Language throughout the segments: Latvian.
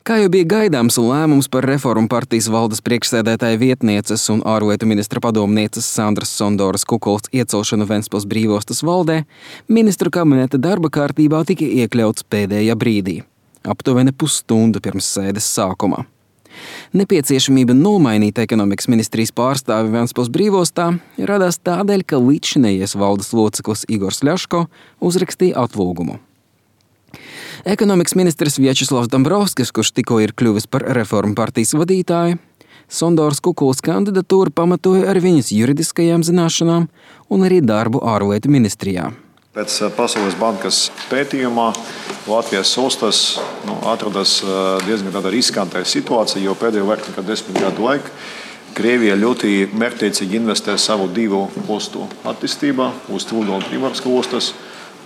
Kā jau bija gaidāms, lēmums par Reformu partijas valdes priekšsēdētāja vietnieces un ārlietu ministra padomnieces Sandras Sondoras Kukuls iecelšanu Ventspils brīvostas valdē ministru kabineta darba kārtībā tika iekļauts pēdējā brīdī, aptuveni pusstundu pirms sēdes sākuma. Nepieciešamība nomainīt ekonomikas ministrijas pārstāvi Ventspils brīvostā radās tādēļ, ka līdzšinējies valdes loceklis Igors Ļaško uzrakstīja atlūgumu. Ekonomikas ministrs Vjačeslavs Dombrovskis, kurš tikko ir kļuvis par Reformu partijas vadītāju, Sondoras Kukuls kandidatūru pamatoja ar viņas juridiskajām zināšanām un arī darbu ārlietu ministrijā. Pēc Pasaules bankas pētījumā Latvijas ostas atrodas diezgan tāda riskantā situācija, jo pēdējo vairāk nekā 10 gadu laikā Krievija ļoti mērķtiecīgi investē savu divu ostu attīstībā uz Tūlgala un Primorska ostas.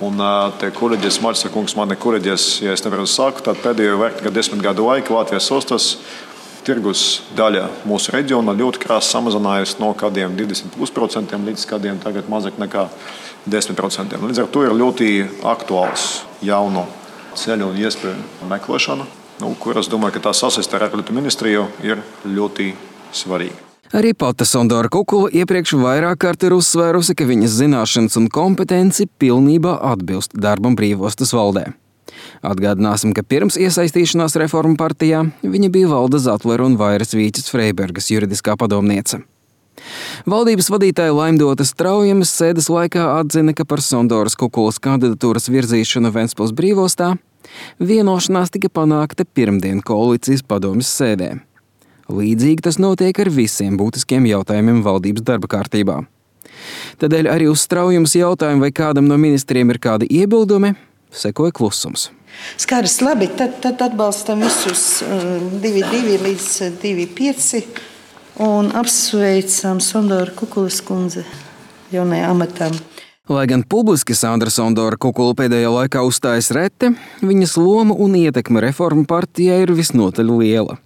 Un te kolēģis Marsa kungs mani korģēs, ja es nevaru sākt, tad pēdējo vairāk nekā 10 gadu laikā Latvijas ostas tirgus daļa mūsu reģionā ļoti krāsi samazinājusi no kādiem 20% līdz kādiem tagad mazāk nekā 10%. Līdz ar to ir ļoti aktuāls jaunu ceļu un iespēju meklēšana, kuras domāju, ka tā sasaiste ar ārlietu ministriju ir ļoti svarīga. Arī pati Sondora Kukula iepriekš vairāk kārt ir uzsvērusi, ka viņas zināšanas un kompetenci pilnībā atbilst darbam brīvostas valdē. Atgādināsim, ka pirms iesaistīšanās Reformu partijā viņa bija Valda Zatlera un Vairas Vīķes Freibergas juridiskā padomniece. Valdības vadītāja Laimdota Straujames sēdes laikā atzina, ka par Sondoras Kukulas kandidatūras virzīšanu Ventspils brīvostā vienošanās tika panākta pirmdien koalīcijas padomjas sēdē. Līdzīgi tas notiek ar visiem būtiskiem jautājumiem valdības darba kārtībā. Tādēļ arī uz Straujames jautājumu, vai kādam no ministriem ir kādi iebildumi, sekoja klusums. Skaidrs, labi, tad atbalstam visus 2-2 līdz 2-5 un apsveicam Sondoru Kukulas kundzi jaunajā amatā. Lai gan publiski Sandra Sondora Kukula pēdējā laikā uzstājas reti, viņas loma un ietekme Reformu partijā ir visnotaļ liela.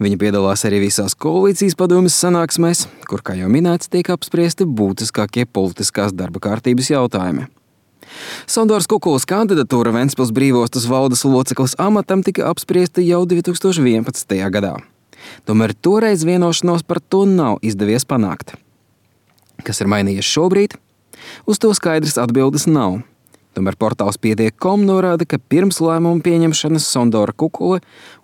Viņa piedalās arī visās koalīcijas padomjas sanāksmēs, kur, kā jau minēts, tiek apspriesti būtiskākie politiskās darba kārtības jautājumi. Sondoras Kukulas kandidatūra Ventspils brīvostas valdes loceklis amatam tika apspriesta jau 2011. gadā. Tomēr toreiz vienošanos par to nav izdevies panākt. Kas ir mainījies šobrīd? Uz to skaidrs atbildes nav. Tomēr portāls Pietiek.com norāda, ka pirms lēmumu pieņemšanas Sondora Kukula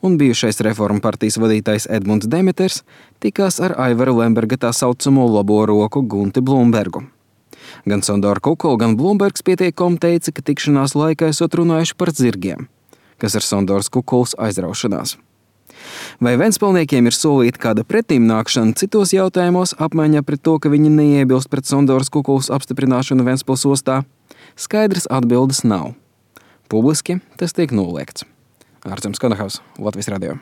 un bijušais Reformu partijas vadītājs Edmunds Demeters tikās ar Aivaru Lemberga tā saucamo labo roku Gunti Blumbergu. Gan Sondora Kukula, gan Blumbergs Pietiek.com teica, ka tikšanās laikā esot runājuši par zirgiem, kas ir Sondoras Kukulas aizraušanās. Vai ventspilniekiem ir solīta kāda pretimnākšana citos jautājumos apmaiņā pret to, ka viņi neiebilst pret Sondoras Kukulas apstiprināšanu Ventspils ostā? Skaidrs atbildes nav. Publiski tas tiek noliegts. Ārcems Konahaus, Latvijas radio.